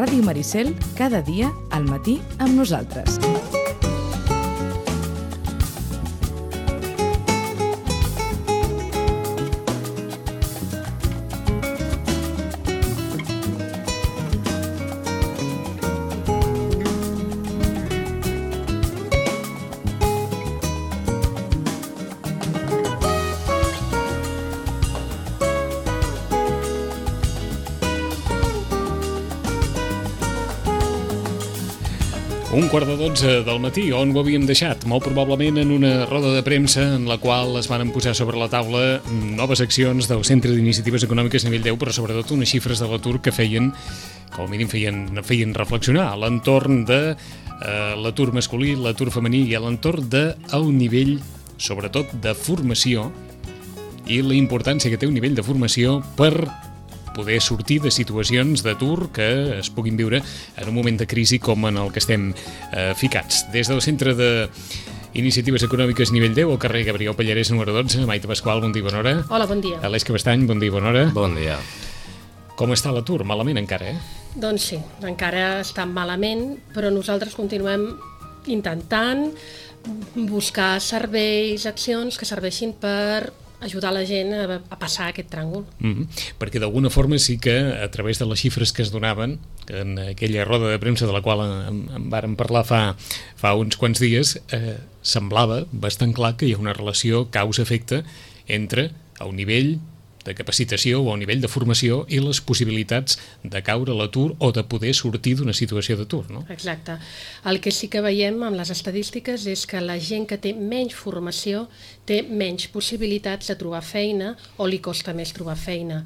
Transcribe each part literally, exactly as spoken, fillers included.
Ràdio Maricel, cada dia al matí amb nosaltres. Un quart de dotze del matí, on ho havíem deixat? Molt probablement en una roda de premsa en la qual es van posar sobre la taula noves accions del Centre d'Iniciatives Econòmiques Nivell deu, però sobretot unes xifres de l'atur que feien, com a mínim feien, feien reflexionar a l'entorn de eh, l'atur masculí, l'atur femení i a l'entorn del nivell, sobretot, de formació i la importància que té un nivell de formació per poder sortir de situacions d'atur que es puguin viure en un moment de crisi com en el que estem eh, ficats. Des del Centre d'Iniciatives Econòmiques Nivell deu, al carrer Gabriel Pallarès, número dotze, Maite Pasqual, bon dia, bona hora. Hola, bon dia. Aleix Cabestany, bon dia, bona hora. Bon dia. Com està l'atur? Malament encara, eh? Doncs sí, encara està malament, però nosaltres continuem intentant buscar serveis, accions que serveixin per ajudar la gent a, a passar aquest tràngol. Mm-hmm. Perquè d'alguna forma sí que a través de les xifres que es donaven en aquella roda de premsa de la qual en, en vàrem parlar fa, fa uns quants dies, eh, semblava bastant clar que hi ha una relació causa-efecte entre el nivell de capacitació o el nivell de formació i les possibilitats de caure a l'atur o de poder sortir d'una situació d'atur, no? Exacte. El que sí que veiem amb les estadístiques és que la gent que té menys formació té menys possibilitats de trobar feina o li costa més trobar feina.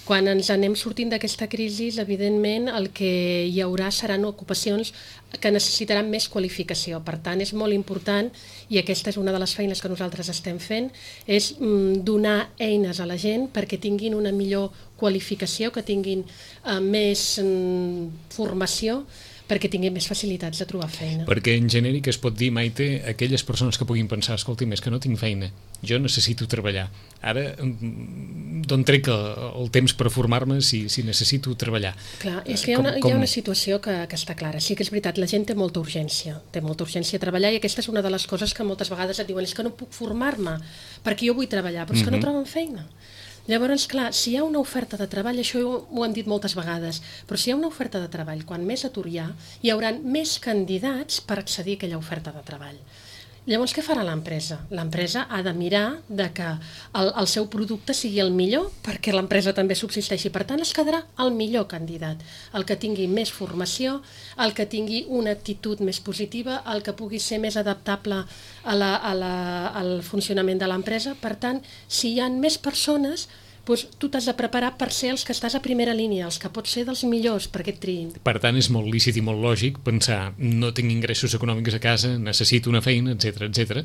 Quan ens anem sortint d'aquesta crisi, evidentment el que hi haurà seran ocupacions que necessitaran més qualificació. Per tant, és molt important, i aquesta és una de les feines que nosaltres estem fent, és mm, donar eines a la gent perquè tinguin una millor qualificació, que tinguin eh, més mm, formació, perquè tinguin més facilitats de trobar feina. Perquè en genèric es pot dir, Maite, aquelles persones que puguin pensar, escolti, és que no tinc feina, jo necessito treballar. Ara, d'on trec el, el temps per formar-me si, si necessito treballar? Clar, és que hi ha una, com, com... hi ha una situació que, que està clara. Sí que és veritat, la gent té molta urgència, té molta urgència a treballar, i aquesta és una de les coses que moltes vegades et diuen, és que no puc formar-me, perquè jo vull treballar, però és que no troben feina. Llavors, clar, si hi ha una oferta de treball, això ho hem dit moltes vegades, però si hi ha una oferta de treball, quan més atur hi ha, hi haurà més candidats per accedir a aquella oferta de treball. Llavors, què farà l'empresa? L'empresa ha de mirar de que el, el seu producte sigui el millor perquè l'empresa també subsisteixi. Per tant, es quedarà el millor candidat, el que tingui més formació, el que tingui una actitud més positiva, el que pugui ser més adaptable a la, a la, al funcionament de l'empresa. Per tant, si hi ha més persones, doncs tu t'has de preparar per ser els que estàs a primera línia, els que pots ser dels millors perquè et triïn. Per tant, és molt lícit i molt lògic pensar, no tinc ingressos econòmics a casa, necessito una feina, etcètera, etcètera,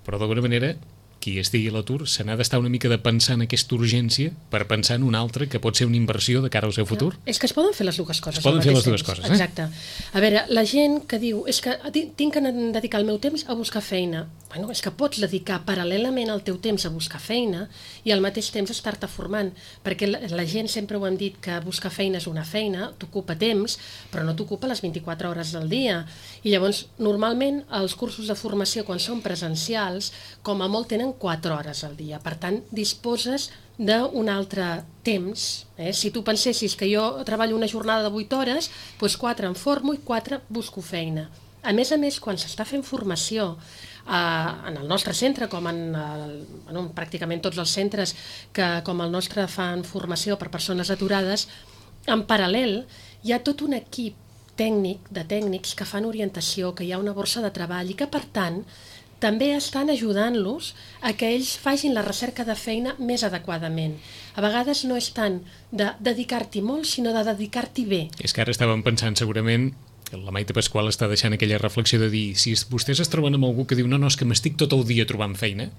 però d'alguna manera qui estigui a l'atur se n'ha d'estar una mica de pensar en aquesta urgència per pensar en una altra que pot ser una inversió de cara al seu futur. Ja, és que es poden fer les dues coses. Es poden fer les dues coses, eh? Exacte. A veure, la gent que diu, és que tinc que dedicar el meu temps a buscar feina. Bueno, és que pots dedicar paral·lelament el teu temps a buscar feina i al mateix temps estar-te formant, perquè la, la gent sempre ho hem dit que buscar feina és una feina, t'ocupa temps, però no t'ocupa les vint-i-quatre hores del dia. I llavors, normalment, els cursos de formació, quan són presencials, com a molt tenen quatre hores al dia. Per tant, disposes d'un altre temps. Eh? Si tu pensessis que jo treballo una jornada de vuit hores, doncs quatre em formo i quatre busco feina. A més a més, quan s'està fent formació eh, en el nostre centre, com en el, bueno, pràcticament tots els centres que com el nostre fan formació per persones aturades, en paral·lel hi ha tot un equip tècnic, de tècnics que fan orientació, que hi ha una borsa de treball i que, per tant, també estan ajudant-los a que ells facin la recerca de feina més adequadament. A vegades no és tant de dedicar-t'hi molt, sinó de dedicar-t'hi bé. És que ara estàvem pensant segurament, la Maite Pasqual està deixant aquella reflexió de dir, si vostès es troben amb algú que diu no, no, és que m'estic tot el dia trobant feina,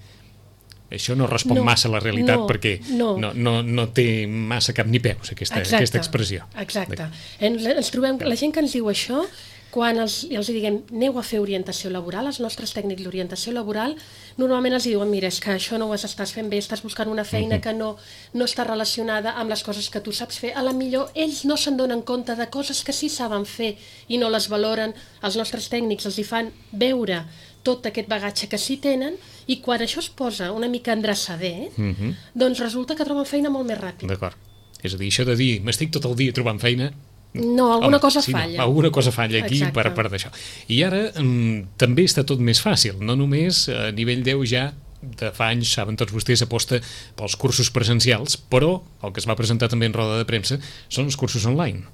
això no respon no, massa a la realitat no, perquè no. No, no, no té massa cap ni peus aquesta, exacte, aquesta expressió. Exacte. Ens, ens trobem, la gent que ens diu això quan els, els diguem aneu a fer orientació laboral, els nostres tècnics d'orientació laboral, normalment els diuen, mira, és que això no ho estàs fent bé, estàs buscant una feina que no, no està relacionada amb les coses que tu saps fer. A la millor ells no se'n donen compte de coses que sí saben fer i no les valoren. Els nostres tècnics els hi fan veure tot aquest bagatge que sí tenen i quan això es posa una mica endreçader, mm -hmm. doncs resulta que troben feina molt més ràpid. D'acord. És a dir, això de dir, m'estic tot el dia trobant feina... No, alguna Home, cosa sí, falla. No, alguna cosa falla aquí Exacte. per part d'això. I ara mm, també està tot més fàcil, no només a nivell deu ja de fa anys, saben tots vostès, aposta pels cursos presencials, però el que es va presentar també en roda de premsa són els cursos online.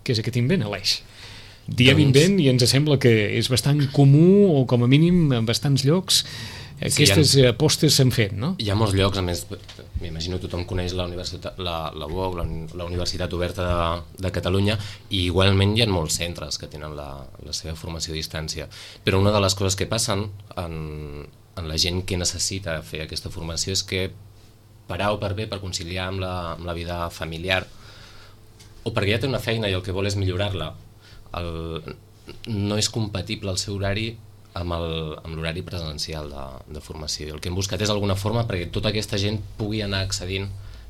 Què és aquest invent, Aleix? Diem doncs... invent i ens sembla que és bastant comú o com a mínim en bastants llocs aquestes sí, ha, apostes s'han fet, no? Hi ha molts llocs, a més, m'imagino tothom coneix la universitat, la, la U O C, la, la Universitat Oberta de, de Catalunya, i igualment hi ha molts centres que tenen la, la seva formació a distància. Però una de les coses que passen en, en la gent que necessita fer aquesta formació és que per A o per B, per conciliar amb la, amb la vida familiar, o perquè ja té una feina i el que vol és millorar-la, el, no és compatible el seu horari amb l'horari presencial de, de formació. El que hem buscat és alguna forma perquè tota aquesta gent pugui anar accedint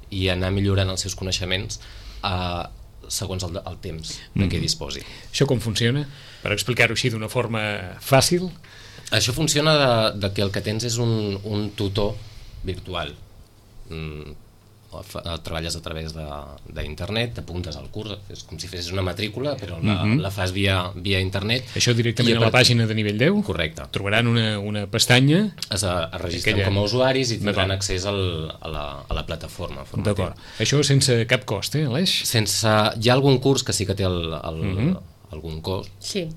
i anar millorant els seus coneixements eh, segons el, el temps de què disposi. Mm. Això com funciona? Per explicar-ho així d'una forma fàcil? Això funciona de, de que el que tens és un, un tutor virtual. Mm, treballes a través d'internet, t'apuntes al curs, és com si fessis una matrícula, però la, mm -hmm. la fas via, via internet. Això directament a, a la pàgina de nivell deu? Correcte. Trobaran una, una pestanya... Es, es registren aquella... com a usuaris i tindran accés al, a, la, a la plataforma. D'acord. Això sense cap cost, eh, Aleix? Sense... Hi ha algun curs que sí que té el, el, mm -hmm. algun cost. Sí.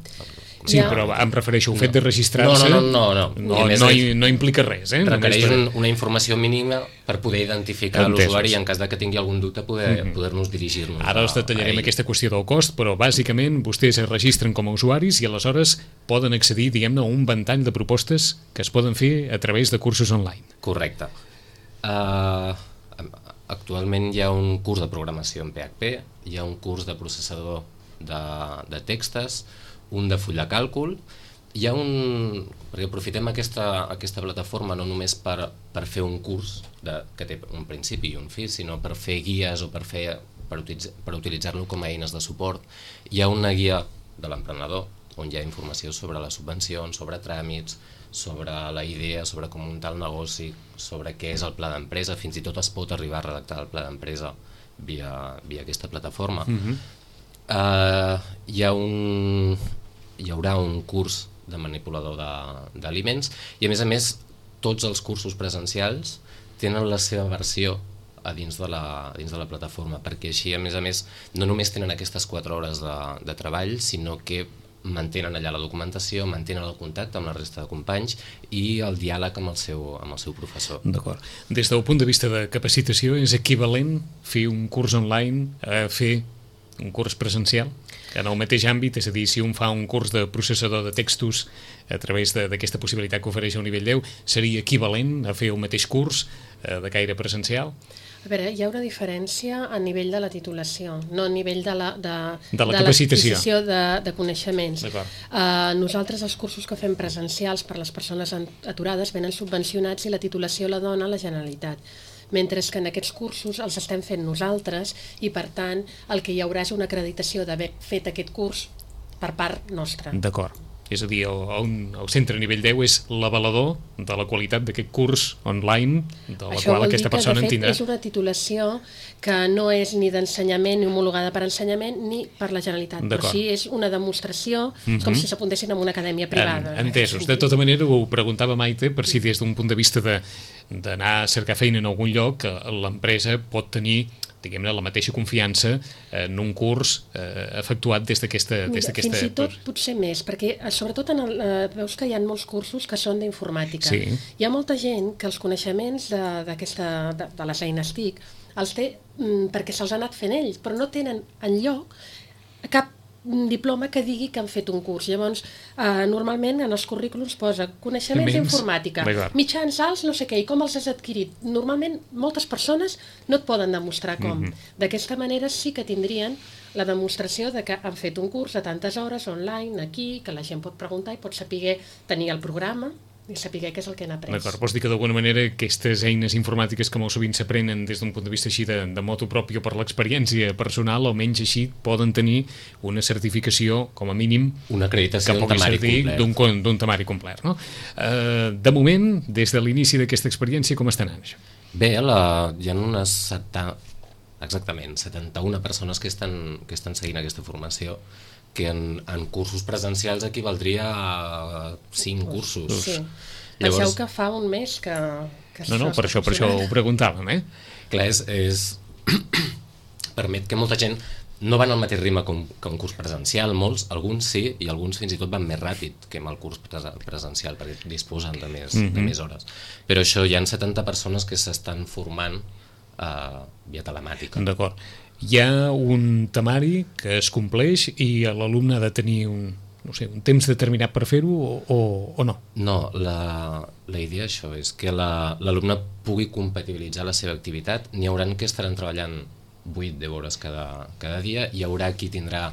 Sí, ja. Però em refereixo al fet de registrar-se. No, no, no. No, no, no, no, no implica res. Eh? Requereix per... un, una informació mínima per poder identificar l'usuari i en cas de que tingui algun dubte poder, mm-hmm. poder-nos dirigir-nos. Ara els detallarem a aquesta qüestió del cost, però bàsicament vostès es registren com a usuaris i aleshores poden accedir, diguem-ne, a un ventall de propostes que es poden fer a través de cursos online. Correcte. Uh, actualment hi ha un curs de programació en P H P, hi ha un curs de processador de, de textos, un de full de càlcul, hi ha un... perquè aprofitem aquesta, aquesta plataforma no només per, per fer un curs de, que té un principi i un fi, sinó per fer guies o per, fer, per, utilitzar, per utilitzar-lo com a eines de suport. Hi ha una guia de l'emprenedor on hi ha informació sobre les subvencions, sobre tràmits, sobre la idea, sobre com muntar el negoci, sobre què és el pla d'empresa, fins i tot es pot arribar a redactar el pla d'empresa via, via aquesta plataforma. Mm-hmm. uh, hi ha un... hi haurà un curs de manipulador d'aliments i a més a més tots els cursos presencials tenen la seva versió a dins de la, dins de la plataforma, perquè així a més a més no només tenen aquestes quatre hores de, de treball, sinó que mantenen allà la documentació, mantenen el contacte amb la resta de companys i el diàleg amb el seu, amb el seu professor. D'acord. Des del punt de vista de capacitació, és equivalent fer un curs online a fer un curs presencial? En el mateix àmbit, és a dir, si un fa un curs de processador de textos a través d'aquesta possibilitat que ofereix el nivell deu, seria equivalent a fer el mateix curs eh, de caire presencial? A veure, hi ha una diferència a nivell de la titulació, no a nivell de la, de, de la capacitació de, de, de coneixements. Uh, nosaltres els cursos que fem presencials per les persones aturades venen subvencionats i la titulació la dona la Generalitat. Mentre que en aquests cursos els estem fent nosaltres i, per tant, el que hi haurà és una acreditació d'haver fet aquest curs per part nostra. D'acord. És a dir, el, el centre a nivell deu és l'avalador de la qualitat d'aquest curs online de la Això qual aquesta persona en tindrà. Això vol dir que, de fet, és una titulació que no és ni d'ensenyament ni homologada per ensenyament ni per la Generalitat, però sí és una demostració, mm-hmm. com si s'apuntessin en una acadèmia privada. En, entesos. De tota manera, ho preguntava Maite, per si des d'un punt de vista de d'anar a cercar feina en algun lloc, l'empresa pot tenir, diguem-ne, la mateixa confiança en un curs eh, efectuat des d'aquesta... Fins i tot potser més, perquè sobretot en el, eh, veus que hi ha molts cursos que són d'informàtica. Sí. Hi ha molta gent que els coneixements d'aquesta de, de, de les eines T I C els té mm, perquè se'ls ha anat fent ells, però no tenen enlloc cap un diploma que digui que han fet un curs. Llavors, eh, normalment en els currículums posa coneixements d'informàtica, mitjans alts, no sé què, i com els has adquirit. Normalment, moltes persones no et poden demostrar com. Mm-hmm. D'aquesta manera sí que tindrien la demostració de que han fet un curs a tantes hores online, aquí, que la gent pot preguntar i pot saber tenir el programa i saber què és el que han après. D'acord, vols dir que d'alguna manera aquestes eines informàtiques que molt sovint s'aprenen des d'un punt de vista així de, de motu propi o per l'experiència personal, almenys així poden tenir una certificació, com a mínim, una acreditació que pugui servir d'un temari complet. No? Uh, de moment, des de l'inici d'aquesta experiència, com està anant això? Bé, la, hi ha unes setanta, exactament, setanta-una persones que estan, que estan seguint aquesta formació, que en, en cursos presencials equivaldria a cinc cursos. Sí. Llavors... Penseu que fa un mes que... que no, no, per això, per això ho preguntàvem, eh? Clar, és... és... permet que molta gent no van al mateix ritme que un, que un curs presencial, molts, alguns sí, i alguns fins i tot van més ràpid que amb el curs presencial, perquè disposen de més, mm-hmm. de més hores. Però això, hi ha setanta persones que s'estan formant uh, via telemàtica. D'acord. Hi ha un temari que es compleix i l'alumne ha de tenir un, no sé, un temps determinat per fer-ho o, o, o no? No, la, la idea això és que l'alumne la, pugui compatibilitzar la seva activitat. N'hi haurà que estaran treballant vuit deu hores cada, cada dia, hi haurà qui tindrà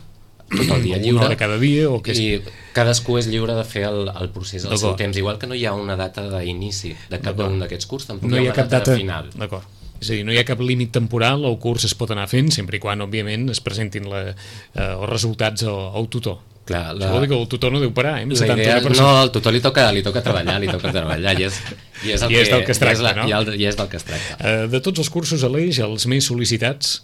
tot el dia lliure. Una hora cada dia o què? I cadascú és lliure de fer el, el procés al seu temps. Igual que no hi ha una data d'inici de cap d'un d'aquests cursos, tampoc no hi ha una data, data final. D'acord. És a dir, no hi ha cap límit temporal, el curs es pot anar fent sempre i quan, òbviament, es presentin la, eh, els resultats al, al tutor. Clar, la... Això vol dir que el tutor no deu parar, eh? La idea, no, al tutor li toca, li toca treballar, li toca treballar, i és, i és, el I és del que es tracta, i és la, no? I, el, I és del que es tracta. Uh, de tots els cursos, Aleix, els més sol·licitats?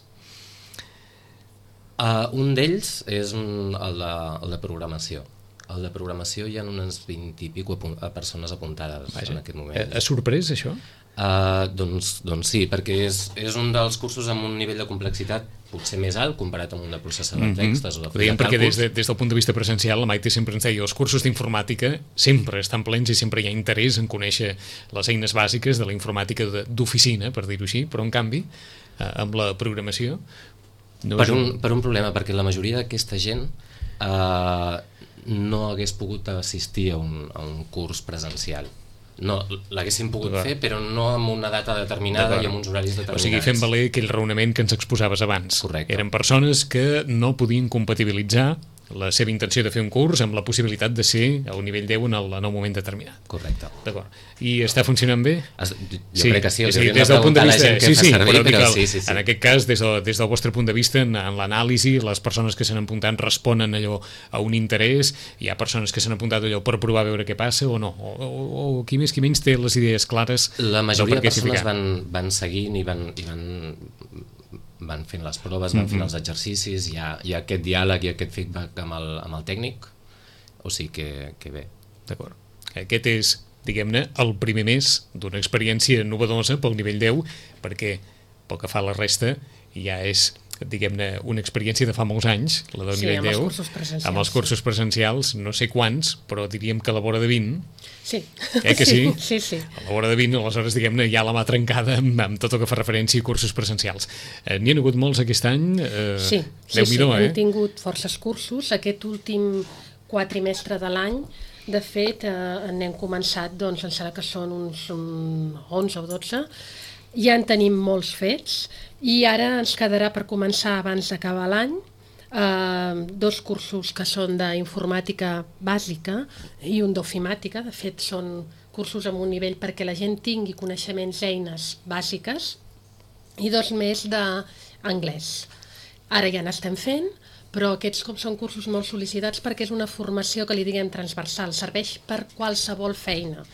Uh, un d'ells és un, el, de, el de programació. El de programació hi ha unes vint i pico persones apuntades. Vaja. En aquest moment. Ha sorprès, això? Uh, doncs, doncs sí, perquè és, és un dels cursos amb un nivell de complexitat potser més alt comparat amb un de processador de textos. Mm-hmm. O de Dèiem perquè des, de, des del punt de vista presencial la Maite sempre ens deia els cursos d'informàtica sempre estan plens i sempre hi ha interès en conèixer les eines bàsiques de la informàtica d'oficina, per dir-ho així, però en canvi eh, amb la programació no per, un, un... per un problema, perquè la majoria d'aquesta gent eh, no hagués pogut assistir a un, a un curs presencial. No, l'haguéssim pogut fer, però no amb una data determinada i amb uns horaris determinats. O sigui, fem valer aquell raonament que ens exposaves abans. Correcte. Eren persones que no podien compatibilitzar la seva intenció de fer un curs amb la possibilitat de ser al nivell deu en el, en el moment determinat. Correcte. D'acord. I està funcionant bé? Es, jo sí. crec que sí. És a dir, des del punt de vista... Sí, sí, servir, però, però el, sí, sí, sí. En aquest cas, des, de, des del vostre punt de vista, en, en l'anàlisi, les persones que s'han apuntat responen allò a un interès, hi ha persones que s'han apuntat allò per provar a veure què passa o no, o, o, o qui més qui menys té les idees clares. La majoria de persones van, van seguint i van... I van van fent les proves, van fent els exercicis, hi ha, hi ha aquest diàleg i aquest feedback amb el, amb el tècnic, o sigui que, que bé. D'acord. Aquest és, diguem-ne, el primer mes d'una experiència novedosa pel nivell deu, perquè pel que fa a la resta ja és, diguem-ne, una experiència de fa molts anys, la del sí, nivell deu, els amb els cursos presencials, no sé quants, però diríem que a la vora de vint. Sí. Eh que sí? Sí, sí. A la vora de vint, aleshores, diguem-ne, ja la mà trencada amb, amb tot el que fa referència a cursos presencials. Eh, N'hi ha hagut molts aquest any? Eh, sí, sí, sí, eh? hem tingut forces cursos. Aquest últim quatrimestre de l'any, de fet, eh, n'hem començat, doncs, em sembla que són uns un, onze o dotze, ja en tenim molts fets, i ara ens quedarà per començar abans d'acabar l'any Uh, dos cursos que són d'informàtica bàsica i un d'ofimàtica. De fet, són cursos amb un nivell perquè la gent tingui coneixements, eines bàsiques, i dos més d'anglès. Ara ja n'estem fent, però aquests com són cursos molt sol·licitats perquè és una formació que li diguem transversal, serveix per qualsevol feina.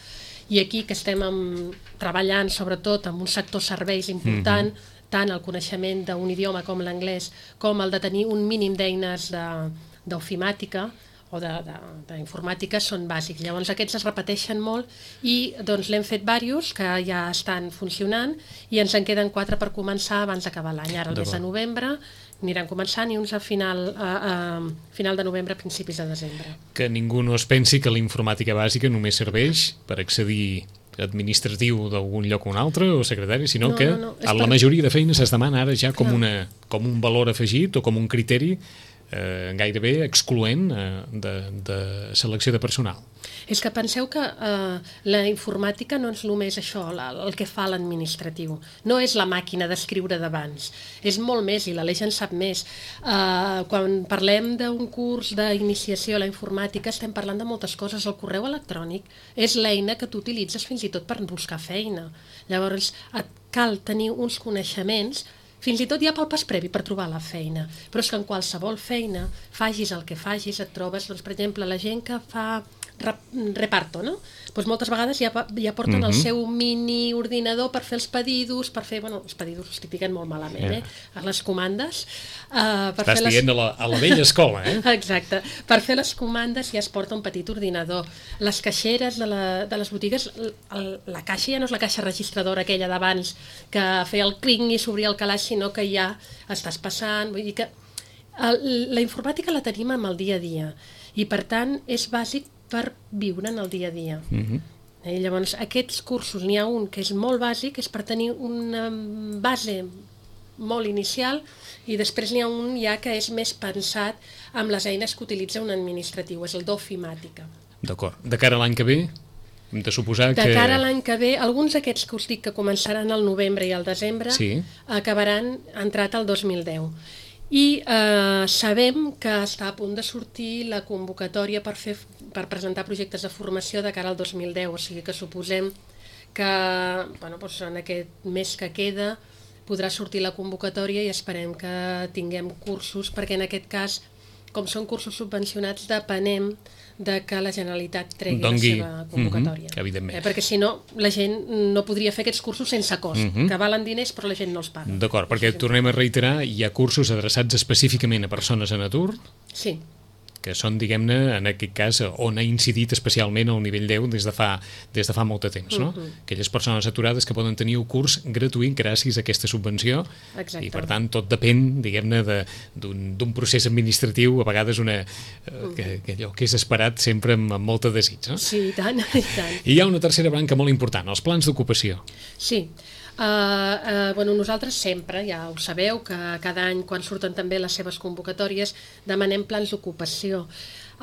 I aquí que estem amb, treballant sobretot amb un sector serveis important, mm-hmm. tant el coneixement d'un idioma com l'anglès, com el de tenir un mínim d'eines d'ofimàtica o d'informàtica són bàsics. Llavors aquests es repeteixen molt i doncs l'hem fet diversos que ja estan funcionant i ens en queden quatre per començar abans d'acabar l'any. Ara el mes de novembre aniran començant i uns a final, a, a final de novembre, principis de desembre. Que ningú no es pensi que la informàtica bàsica només serveix per accedir administratiu d'algun lloc o un altre o secretari, sinó no, que no, no. a la per... majoria de feines es demana ara ja com, una, com un valor afegit o com un criteri eh, gairebé excloent eh, de, de selecció de personal. És que penseu que eh, la informàtica no és només això, la, el que fa l'administratiu. No és la màquina d'escriure d'abans. És molt més, i l'Aleix en sap més. Eh, quan parlem d'un curs d'iniciació a la informàtica estem parlant de moltes coses. El correu electrònic és l'eina que tu utilitzes fins i tot per buscar feina. Llavors et cal tenir uns coneixements fins i tot ja pel pas previ per trobar la feina. Però és que en qualsevol feina, fagis el que fagis, et trobes, doncs, per exemple, la gent que fa reparto, no? Doncs moltes vegades ja, ja porten uh-huh. el seu mini ordinador per fer els pedidos, per fer, bueno, els pedidos els tipiquen molt malament, yeah. eh? A les comandes. Uh, per Estàs fer dient les... a, la, a la vella escola, eh? Exacte. Per fer les comandes ja es porta un petit ordinador. Les caixeres de, la, de les botigues, el, la caixa ja no és la caixa registradora aquella d'abans que feia el cling i s'obria el calaix, sinó que ja estàs passant, vull dir que el, la informàtica la tenim amb el dia a dia i per tant és bàsic per viure en el dia a dia. Uh-huh. Eh, llavors, aquests cursos, n'hi ha un que és molt bàsic, és per tenir una base molt inicial, i després n'hi ha un ja que és més pensat amb les eines que utilitza un administratiu, és el d'ofimàtica. D'acord. De cara a l'any que ve, hem de suposar que... De cara a l'any que ve, alguns d'aquests que us dic que començaran al novembre i al desembre sí. acabaran entrat al dos mil deu. I eh, sabem que està a punt de sortir la convocatòria per, fer, per presentar projectes de formació de cara al dos mil deu, o sigui que suposem que bueno, doncs en aquest mes que queda podrà sortir la convocatòria i esperem que tinguem cursos, perquè en aquest cas, com són cursos subvencionats, depenem de que la Generalitat tregui Dongui. la seva convocatòria. Mm-hmm, evidentment. Eh, perquè si no, la gent no podria fer aquests cursos sense cost, mm-hmm. que valen diners però la gent no els paga. D'acord, perquè tornem a reiterar, hi ha cursos adreçats específicament a persones en atur? Sí. Que són, diguem-ne, en aquest cas, on ha incidit especialment el nivell deu des de fa, des de fa molt de temps, no? Uh-huh. Aquelles persones aturades que poden tenir un curs gratuït gràcies a aquesta subvenció. Exacte. I, per tant, tot depèn, diguem-ne, d'un procés administratiu, a vegades una, uh-huh. que, que allò que és esperat sempre amb, amb molta desig, no? Sí, i tant, i tant. I hi ha una tercera branca molt important, els plans d'ocupació. Sí. Uh, uh, bueno, nosaltres sempre, ja ho sabeu, que cada any quan surten també les seves convocatòries demanem plans d'ocupació.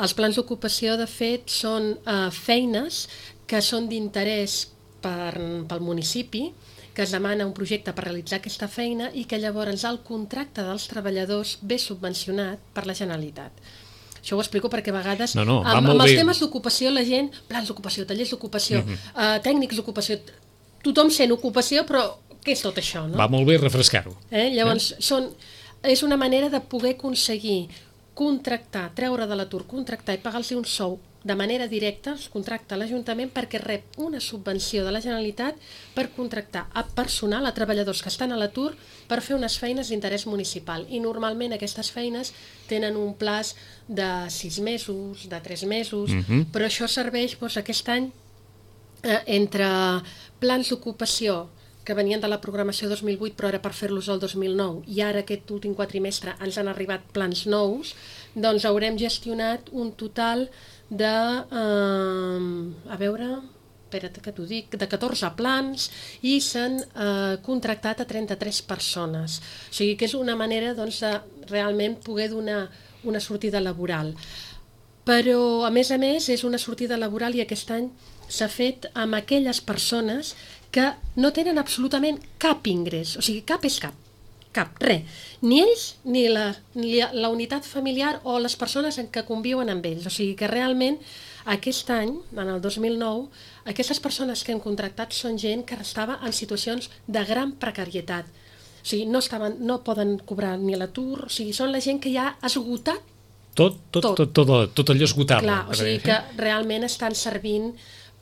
Els plans d'ocupació, de fet, són uh, feines que són d'interès per, pel municipi, que es demana un projecte per realitzar aquesta feina i que llavors el contracte dels treballadors ve subvencionat per la Generalitat. Això ho explico perquè a vegades no, no, amb, amb els temes d'ocupació la gent, plans d'ocupació, tallers d'ocupació, mm-hmm. uh, tècnics d'ocupació, tothom sent ocupació, però què és tot això, no? Va molt bé refrescar-ho. Eh? Llavors, eh? Són, és una manera de poder aconseguir contractar, treure de l'atur, contractar i pagar-los un sou de manera directa, es contracta a l'Ajuntament perquè rep una subvenció de la Generalitat per contractar a personal, a treballadors que estan a l'atur, per fer unes feines d'interès municipal. I normalment aquestes feines tenen un plaç de sis mesos, de tres mesos, mm-hmm. però això serveix doncs, aquest any eh, entre plans d'ocupació que venien de la programació dos mil vuit, però ara per fer-los el dos mil nou, i ara aquest últim quatrimestre ens han arribat plans nous, doncs haurem gestionat un total de, eh, a veure, espera't que t'ho dic, de catorze plans i s'han eh, contractat a trenta-tres persones. O sigui que és una manera doncs, de realment poder donar una sortida laboral. Però, a més a més, és una sortida laboral i aquest any s'ha fet amb aquelles persones que no tenen absolutament cap ingrés, o sigui, cap és cap, cap, res. Ni ells, ni la, ni la unitat familiar o les persones en què conviuen amb ells. O sigui que realment aquest any, en el dos mil nou, aquestes persones que hem contractat són gent que estava en situacions de gran precarietat. O sigui, no, estaven, no poden cobrar ni l'atur, o sigui, són la gent que ja ha esgotat tot, tot, tot, tot, tot, tot allò esgotable. Clar, o sigui que realment estan servint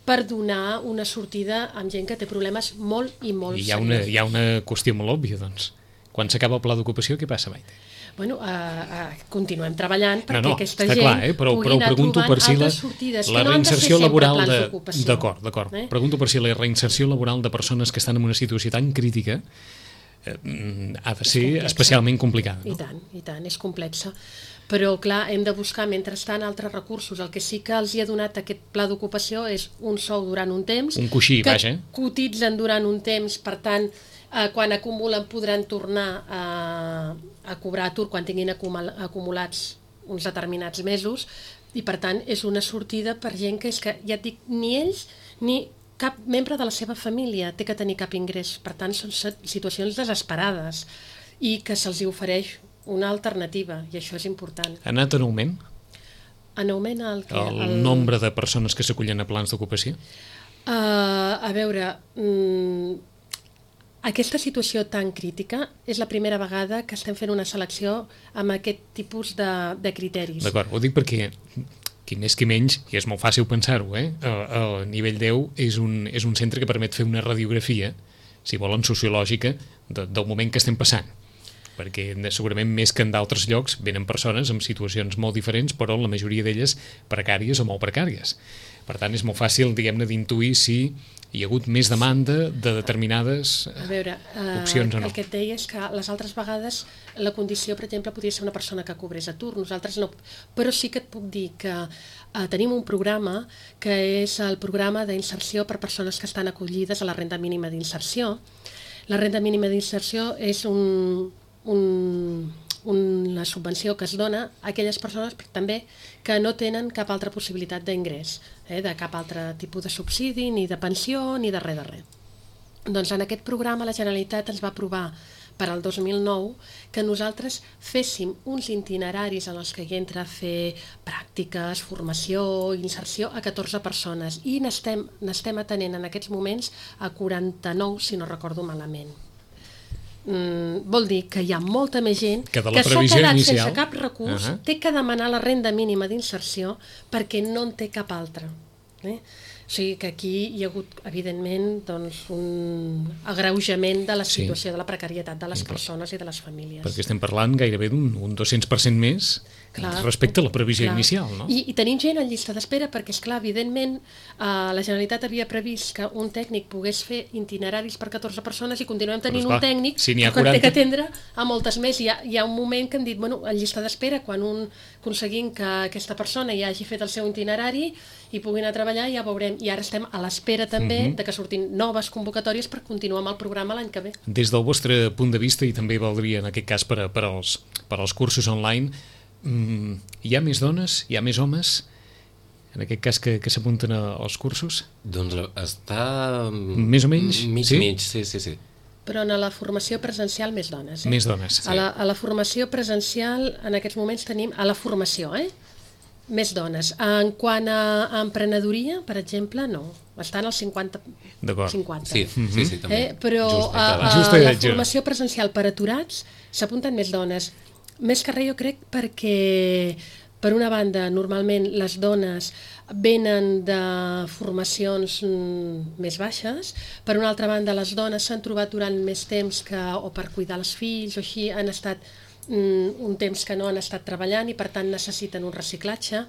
per donar una sortida amb gent que té problemes molt i molt I hi ha una, hi ha una qüestió molt òbvia, doncs. Quan s'acaba el pla d'ocupació, què passa, Maite? Bueno, uh, uh, continuem treballant perquè no, no, aquesta gent clar, eh? però, pugui però anar pregunto per si la, sortides, la no reinserció laboral de... D'acord, d'acord. Eh? Pregunto per si la reinserció laboral de persones que estan en una situació tan crítica eh, ha de ser especialment complicada. No? I tant, i tant, és complexa. Però, clar, hem de buscar, mentrestant, altres recursos. El que sí que els hi ha donat aquest pla d'ocupació és un sou durant un temps. Un coixí, que vaja. cotitzen durant un temps, per tant, eh, quan acumulen podran tornar a, a cobrar atur quan tinguin acumulats uns determinats mesos, i per tant és una sortida per gent que és que, ja et dic, ni ells ni cap membre de la seva família té que tenir cap ingrés, per tant són situacions desesperades i que se'ls ofereix una alternativa, i això és important. Ha anat en augment? En augment el, que, el, el nombre de persones que s'acullen a plans d'ocupació? Uh, a veure, mm, aquesta situació tan crítica és la primera vegada que estem fent una selecció amb aquest tipus de, de criteris. D'acord, ho dic perquè qui més qui menys, i és molt fàcil pensar-ho, eh? El nivell deu és un, és un centre que permet fer una radiografia, si volen, sociològica, de, del moment que estem passant. Perquè segurament més que en d'altres llocs venen persones amb situacions molt diferents, però la majoria d'elles precàries o molt precàries. Per tant, és molt fàcil, diguem-ne, d'intuir si hi ha hagut més demanda de determinades a veure, uh, opcions o no. El que et deia és que les altres vegades la condició, per exemple, podria ser una persona que cobrés atur, nosaltres no. Però sí que et puc dir que uh, tenim un programa que és el programa d'inserció per persones que estan acollides a la renda mínima d'inserció. La renda mínima d'inserció és un... un una subvenció que es dona a aquelles persones també que no tenen cap altra possibilitat d'ingrés, eh, de cap altre tipus de subsidi, ni de pensió, ni de res de res. Doncs en aquest programa la Generalitat ens va aprovar per al dos mil nou que nosaltres féssim uns itineraris en els que hi entra a fer pràctiques, formació, inserció a catorze persones, i n'estem n'estem atenent en aquests moments a quaranta-nou, si no recordo malament. Mm, vol dir que hi ha molta més gent que, que s'ha quedat inicial, sense cap recurs, uh -huh. té que demanar la renda mínima d'inserció perquè no en té cap altra. Eh? O sigui que aquí hi ha hagut, evidentment, doncs, un agreujament de la situació, sí, de la precarietat de les sí, persones i de les famílies. Perquè estem parlant gairebé d'un un dos-cents per cent més, clar, respecte a la previsió clar. inicial. No? I, I tenim gent en llista d'espera perquè, esclar, evidentment, eh, la Generalitat havia previst que un tècnic pogués fer itineraris per catorze persones i continuem tenint esclar, un tècnic si que quaranta... té que atendre a moltes més. Hi ha, hi ha un moment que hem dit, bueno, en llista d'espera, quan un aconseguim que aquesta persona ja hagi fet el seu itinerari i pugui anar a treballar, ja veurem. I ara estem a l'espera també uh-huh. de que surtin noves convocatòries per continuar amb el programa l'any que ve. Des del vostre punt de vista, i també valdria en aquest cas per, a, per, als, per als cursos online, mm, hi ha més dones, hi ha més homes, en aquest cas que, que s'apunten als cursos? Doncs està... Més o menys? Mig, sí? mig, sí, sí, sí. Però en la formació presencial més dones. Eh? Més dones, sí. A la, a la formació presencial en aquests moments tenim, a la formació, eh? més dones. En quant a emprenedoria, per exemple, no. Estan al cinquanta. cinquanta. Sí, sí, sí, també. Eh? Però Just, a, a, Just a la formació presencial per aturats s'apunten més dones. Més que res, jo crec, perquè, per una banda, normalment les dones venen de formacions més baixes, per una altra banda, les dones s'han trobat durant més temps que, o per cuidar els fills o així, han estat un temps que no han estat treballant i per tant necessiten un reciclatge,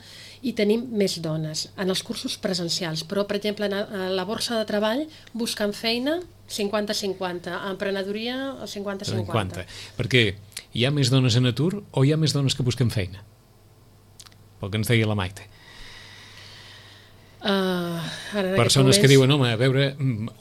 i tenim més dones en els cursos presencials, però per exemple a la borsa de treball buscant feina cinquanta cinquanta, a emprenedoria el cinquanta cinquanta. Perquè hi ha més dones en atur o hi ha més dones que busquen feina? Pel que ens deia la Maite. Uh, persones moments... que diuen, home, a veure,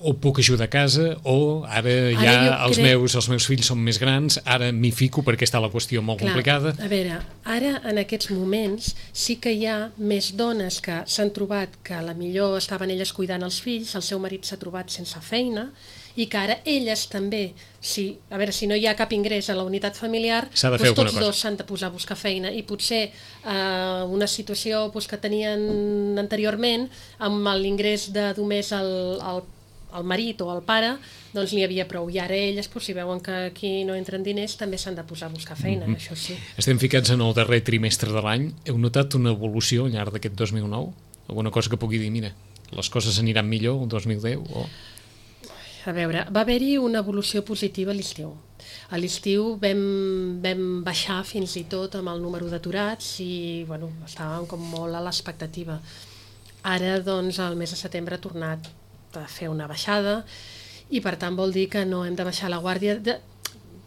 o puc ajudar a casa, o ara ja ara els, crec... meus, els meus fills són més grans, ara m'hi fico perquè està la qüestió molt Clar, complicada. A veure, ara en aquests moments sí que hi ha més dones que s'han trobat que a la millor estaven elles cuidant els fills, el seu marit s'ha trobat sense feina, i que ara elles també, si, a veure, si no hi ha cap ingrés a la unitat familiar, doncs tots dos s'han de posar a buscar feina, i potser eh, una situació doncs, que tenien anteriorment, amb l'ingrés de només el, el, el marit o el pare, doncs n'hi havia prou, i ara elles, doncs, si veuen que aquí no entren diners, també s'han de posar a buscar feina, mm-hmm. això sí. Estem ficats en el darrer trimestre de l'any. Heu notat una evolució al llarg d'aquest dos mil nou? Alguna cosa que pugui dir, mira, les coses aniran millor el dos mil deu o... A veure, va haver-hi una evolució positiva a l'estiu. A l'estiu vam, vam baixar fins i tot amb el número d'aturats i bueno, estàvem com molt a l'expectativa. Ara, doncs, el mes de setembre ha tornat a fer una baixada i, per tant, vol dir que no hem de baixar la guàrdia. De,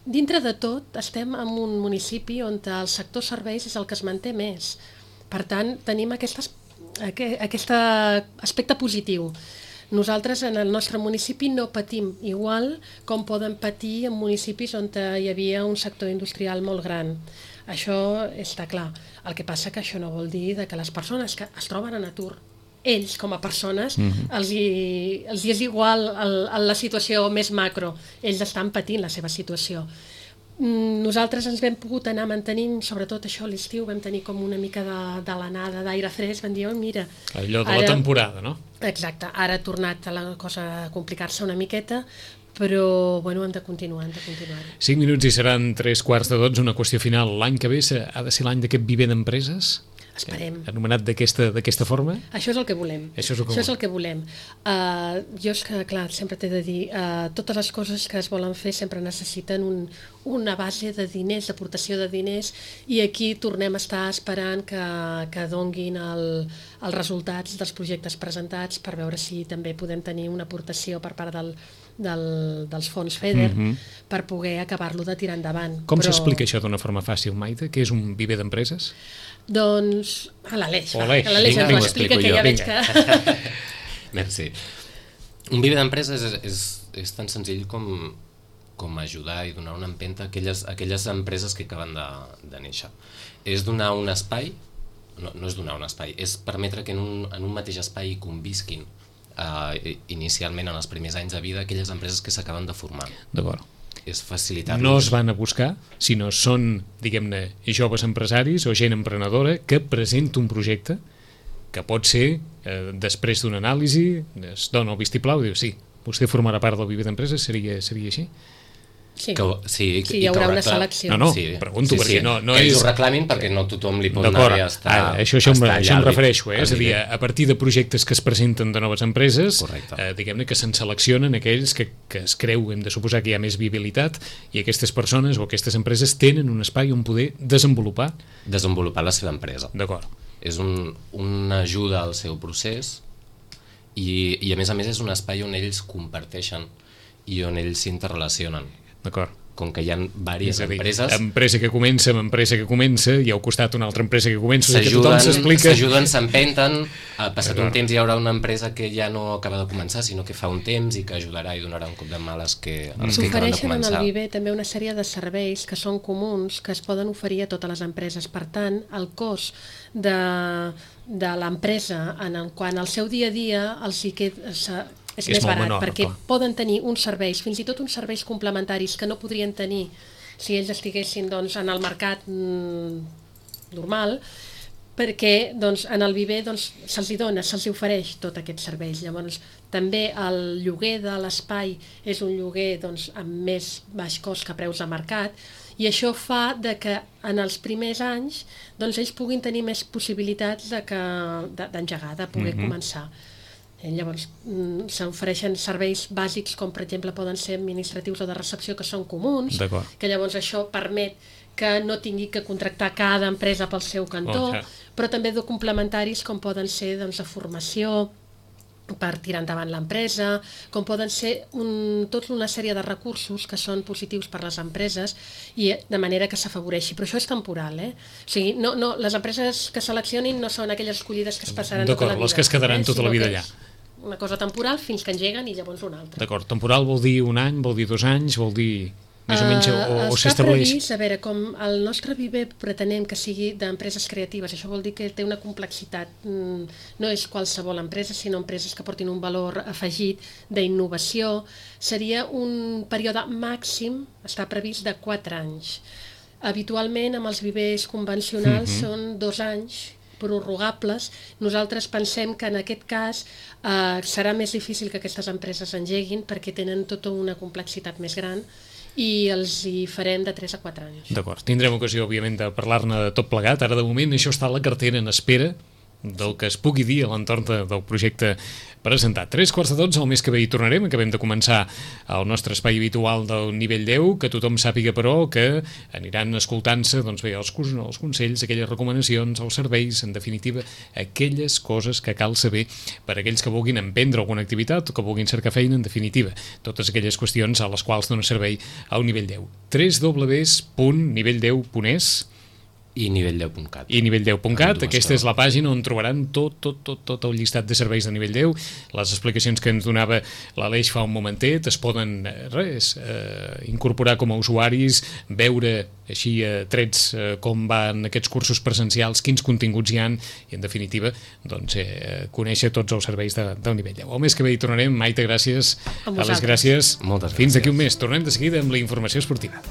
dintre de tot, estem en un municipi on el sector serveis és el que es manté més. Per tant, tenim aquest, aquest aspecte positiu. Nosaltres en el nostre municipi no patim igual com poden patir en municipis on hi havia un sector industrial molt gran. Això està clar. El que passa que això no vol dir que les persones que es troben en atur, ells com a persones, mm-hmm. els, hi, els hi és igual el, el, la situació més macro. Ells estan patint la seva situació. Nosaltres ens vam pogut anar mantenint, sobretot això a l'estiu, vam tenir com una mica de, de l'anada d'aire fresc, vam dir, oh, mira... Allò de ara, la temporada, no? Exacte, ara ha tornat a la cosa a complicar-se una miqueta, però bueno, hem de continuar, hem de continuar. Cinc minuts i seran tres quarts de dotze, una qüestió final. L'any que ve ha de ser l'any d'aquest viver d'empreses? Esperem. Anomenat d'aquesta forma? Això és el que volem. Això és el que, Això és el que volem. Uh, jo és que, clar, sempre t'he de dir, uh, totes les coses que es volen fer sempre necessiten un, una base de diners, d'aportació de diners, i aquí tornem a estar esperant que, que donguin el, els resultats dels projectes presentats per veure si també podem tenir una aportació per part del, del, dels fons FEDER mm-hmm. per poder acabar-lo de tirar endavant. Com Però... s'explica això d'una forma fàcil, Maite? Què és un viver d'empreses? Doncs a l'Aleix, va, que l'Aleix ens ho explica, que ja veig que... Merci. Un viver d'empreses és, és, és tan senzill com, com ajudar i donar una empenta a aquelles, a aquelles empreses que acaben de, de néixer. És donar un espai, no, no és donar un espai, és permetre que en un, en un mateix espai convisquin uh, inicialment en els primers anys de vida aquelles empreses que s'acaben de formar. D'acord. És facilitar-los. No es van a buscar, sinó són, diguem-ne, joves empresaris o gent emprenedora que presenta un projecte que pot ser, eh, després d'una anàlisi, es dona el vistiplau i diu, sí, vostè formarà part del viver d'empreses, seria, seria així? Sí, que, sí, sí, hi haurà una selecció. No, no, sí, pregunto, sí, perquè sí. no, no ells és... ho reclamin perquè no tothom li pot anar bé a estar... Ah, això, això, estar això em refereixo, eh? Al és a dir, a partir de projectes que es presenten de noves empreses, eh, diguem-ne que se'n seleccionen aquells que, que es creu, hem de suposar que hi ha més viabilitat, i aquestes persones o aquestes empreses tenen un espai on poder desenvolupar... Desenvolupar la seva empresa. D'acord. És un, una ajuda al seu procés i, i a més a més és un espai on ells comparteixen i on ells s'interrelacionen. D'acord. Com que hi ha diverses dir, empreses... Empresa que comença amb empresa que comença i al costat una altra empresa que comença, que tothom s'explica... S'ajuden, s'empenten, ha passat un temps i hi haurà una empresa que ja no acaba de començar, sinó que fa un temps i que ajudarà i donarà un cop de mà als que, als que acaben de començar. S'ofereixen en el Viver també una sèrie de serveis que són comuns, que es poden oferir a totes les empreses. Per tant, el cost de, de l'empresa en el, quan al seu dia a dia els hi queda... és, és més barat, menor, perquè clar. Poden tenir uns serveis, fins i tot uns serveis complementaris que no podrien tenir si ells estiguessin doncs, en el mercat mm, normal, perquè doncs, en el Viver doncs, se'ls dona, se'ls ofereix tot aquests serveis. Llavors, també el lloguer de l'espai és un lloguer doncs, amb més baix cost que preus de mercat, i això fa de que en els primers anys doncs, ells puguin tenir més possibilitats de que, de, d'engegar, de poder mm-hmm. començar. Llavors, s'ofereixen serveis bàsics com per exemple poden ser administratius o de recepció que són comuns, que llavors això permet que no tingui que contractar cada empresa pel seu cantó, oh, ja. Però també de complementaris com poden ser doncs, de formació per tirar endavant l'empresa, com poden ser un, tota una sèrie de recursos que són positius per les empreses i de manera que s'afavoreixi, però això és temporal, eh? O sigui, no, no, les empreses que seleccionin no són aquelles escollides que es passaran tota la vida. D'acord, les que es quedaran eh? tota la vida allà. Una cosa temporal fins que engeguen i llavors una altra. D'acord, temporal vol dir un any, vol dir dos anys, vol dir més o menys, o, o uh, s'estableix? Està previst, a veure, com el nostre Viver pretenem que sigui d'empreses creatives, això vol dir que té una complexitat, no és qualsevol empresa, sinó empreses que portin un valor afegit d'innovació, seria un període màxim, està previst de quatre anys. Habitualment, amb els vivers convencionals mm-hmm. són dos anys, prorrogables. Nosaltres pensem que en aquest cas eh, serà més difícil que aquestes empreses engeguin perquè tenen tota una complexitat més gran i els hi farem de tres a quatre anys. D'acord, tindrem ocasió, òbviament, de parlar-ne de tot plegat. Ara, de moment, això està a la cartera en espera del que es pugui dir a l'entorn de, del projecte presentat. Tres quarts de dotze, el mes que ve hi tornarem. Acabem de començar el nostre espai habitual del nivell deu, que tothom sàpiga, però, que aniran escoltant-se doncs bé, els, els consells, aquelles recomanacions, els serveis, en definitiva, aquelles coses que cal saber per a aquells que vulguin emprendre alguna activitat o que vulguin cercar feina, en definitiva, totes aquelles qüestions a les quals dona servei al nivell deu. w w w punt nivell deu punt es I nivell deu punt cat. I nivell deu punt cat, aquesta és la pàgina on trobaran tot, tot, tot, tot el llistat de serveis de nivell deu, les explicacions que ens donava l'Aleix fa un momentet, es poden, res, eh, incorporar com a usuaris, veure així a trets eh, com van aquests cursos presencials, quins continguts hi han, i en definitiva, doncs, eh, conèixer tots els serveis de, del nivell deu. El mes que ve hi tornarem. Maite, gràcies. A vosaltres. Aleix, gràcies. Moltes gràcies. Fins d'aquí un mes. Tornem de seguida amb la informació esportiva.